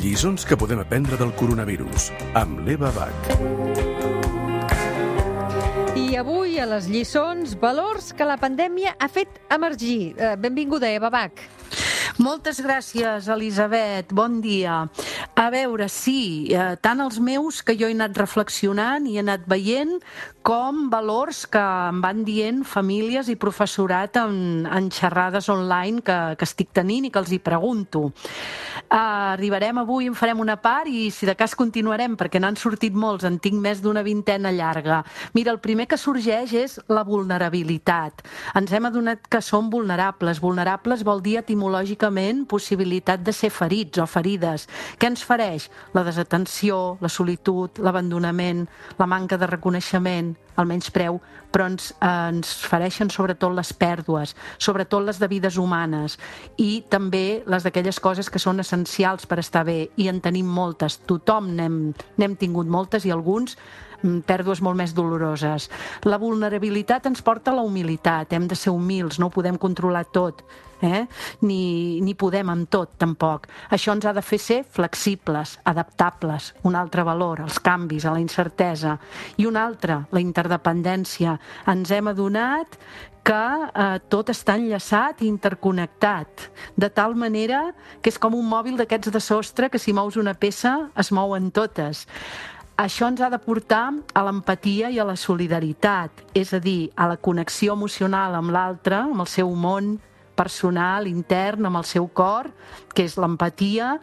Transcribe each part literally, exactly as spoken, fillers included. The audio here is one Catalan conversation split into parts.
Lliçons que podem aprendre del coronavirus, amb l'Eva Bach. I avui a les lliçons, valors que la pandèmia ha fet emergir. Eh, benvinguda, Eva Bach. Moltes gràcies, Elisabet. Bon dia. A veure, sí, eh, tant els meus, que jo he anat reflexionant i he anat veient, com valors que em van dient famílies i professorat en, en xerrades online que, que estic tenint i que els hi pregunto. Eh, arribarem avui, en farem una part i si de cas continuarem, perquè n'han sortit molts, en tinc més d'una vintena llarga. Mira, el primer que sorgeix és la vulnerabilitat. Ens hem adonat que som vulnerables. Vulnerables vol dir etimològicament possibilitat de ser ferits o ferides. Què ens fereix? La desatenció, la solitud, l'abandonament, la manca de reconeixement, el menyspreu, però ens, eh, ens fereixen sobretot les pèrdues, sobretot les de vides humanes i també les d'aquelles coses que són essencials per estar bé, i en tenim moltes. Tothom n'hem, n'hem tingut moltes i alguns pèrdues molt més doloroses. La vulnerabilitat ens porta a la humilitat, hem de ser humils, no ho podem controlar tot, eh? ni, ni podem amb tot, tampoc. Això ens ha de fer ser flexibles, adaptables, un altre valor, els canvis, a la incertesa, i un altre, la interdependència. Ens hem adonat que eh, tot està enllaçat i interconnectat, de tal manera que és com un mòbil d'aquests de sostre que si mous una peça es mouen totes. Això ens ha de portar a l'empatia i a la solidaritat, és a dir, a la connexió emocional amb l'altre, amb el seu món personal, intern, amb el seu cor, que és l'empatia,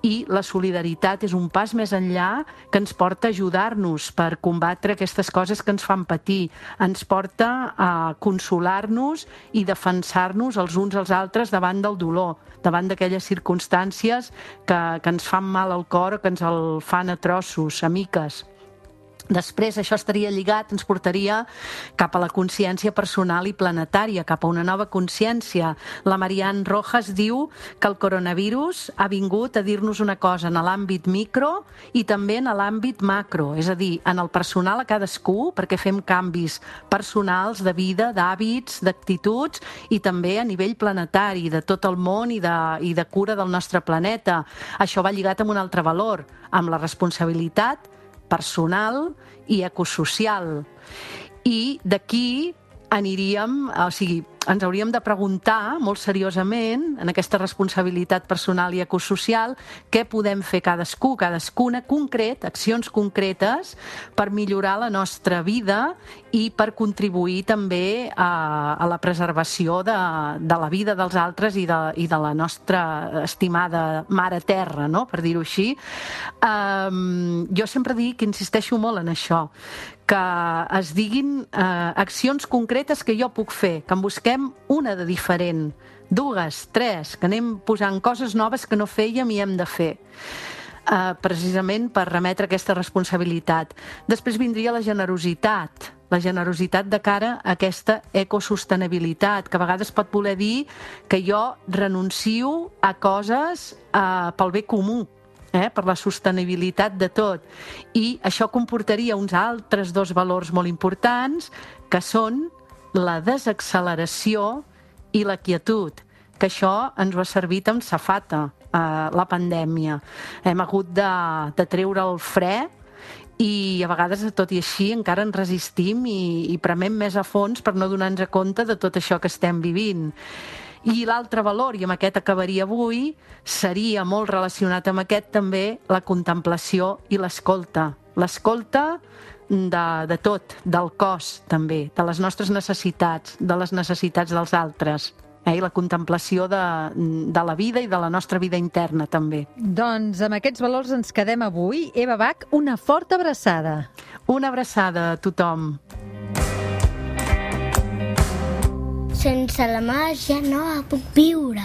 i la solidaritat és un pas més enllà que ens porta a ajudar-nos per combatre aquestes coses que ens fan patir, ens porta a consolar-nos i defensar-nos els uns als altres davant del dolor, davant d'aquelles circumstàncies que, que ens fan mal al cor o que ens el fan a trossos, a miques. Després això estaria lligat, ens portaria cap a la consciència personal i planetària, cap a una nova consciència. La Marianne Rojas diu que el coronavirus ha vingut a dir-nos una cosa en l'àmbit micro i també en l'àmbit macro, és a dir, en el personal a cadascú, perquè fem canvis personals de vida, d'hàbits, d'actituds, i també a nivell planetari, de tot el món i de, i de cura del nostre planeta. Això va lligat amb un altre valor, amb la responsabilitat personal i ecosocial. I d'aquí aniríem, o sigui, ens hauríem de preguntar molt seriosament, en aquesta responsabilitat personal i ecosocial, què podem fer cadascú, cadascuna concret, accions concretes per millorar la nostra vida i per contribuir també a, a la preservació de, de la vida dels altres i de, i de la nostra estimada mare terra, no? Per dir-ho així. Um, jo sempre dic, insisteixo molt en això, que es diguin eh, accions concretes que jo puc fer, que en busquem una de diferent, dues, tres, que anem posant coses noves que no fèiem i hem de fer, eh, precisament per remetre aquesta responsabilitat. Després vindria la generositat, la generositat de cara a aquesta ecosostenibilitat, que a vegades pot voler dir que jo renuncio a coses eh, pel bé comú, Eh, per la sostenibilitat de tot. I això comportaria uns altres dos valors molt importants, que són la desacceleració i la quietud, que això ens ho ha servit amb safata, eh, la pandèmia. Hem hagut de, de treure el fre i a vegades, tot i així, encara ens resistim i, i premem més a fons per no donar-nos compte de tot això que estem vivint. I l'altre valor, i amb aquest acabaria avui, seria molt relacionat amb aquest també la contemplació i l'escolta. L'escolta de, de tot, del cos també, de les nostres necessitats, de les necessitats dels altres. Eh? I la contemplació de, de la vida i de la nostra vida interna també. Doncs amb aquests valors ens quedem avui. Eva Bach, una forta abraçada. Una abraçada a tothom. Sense la màgia no puc viure.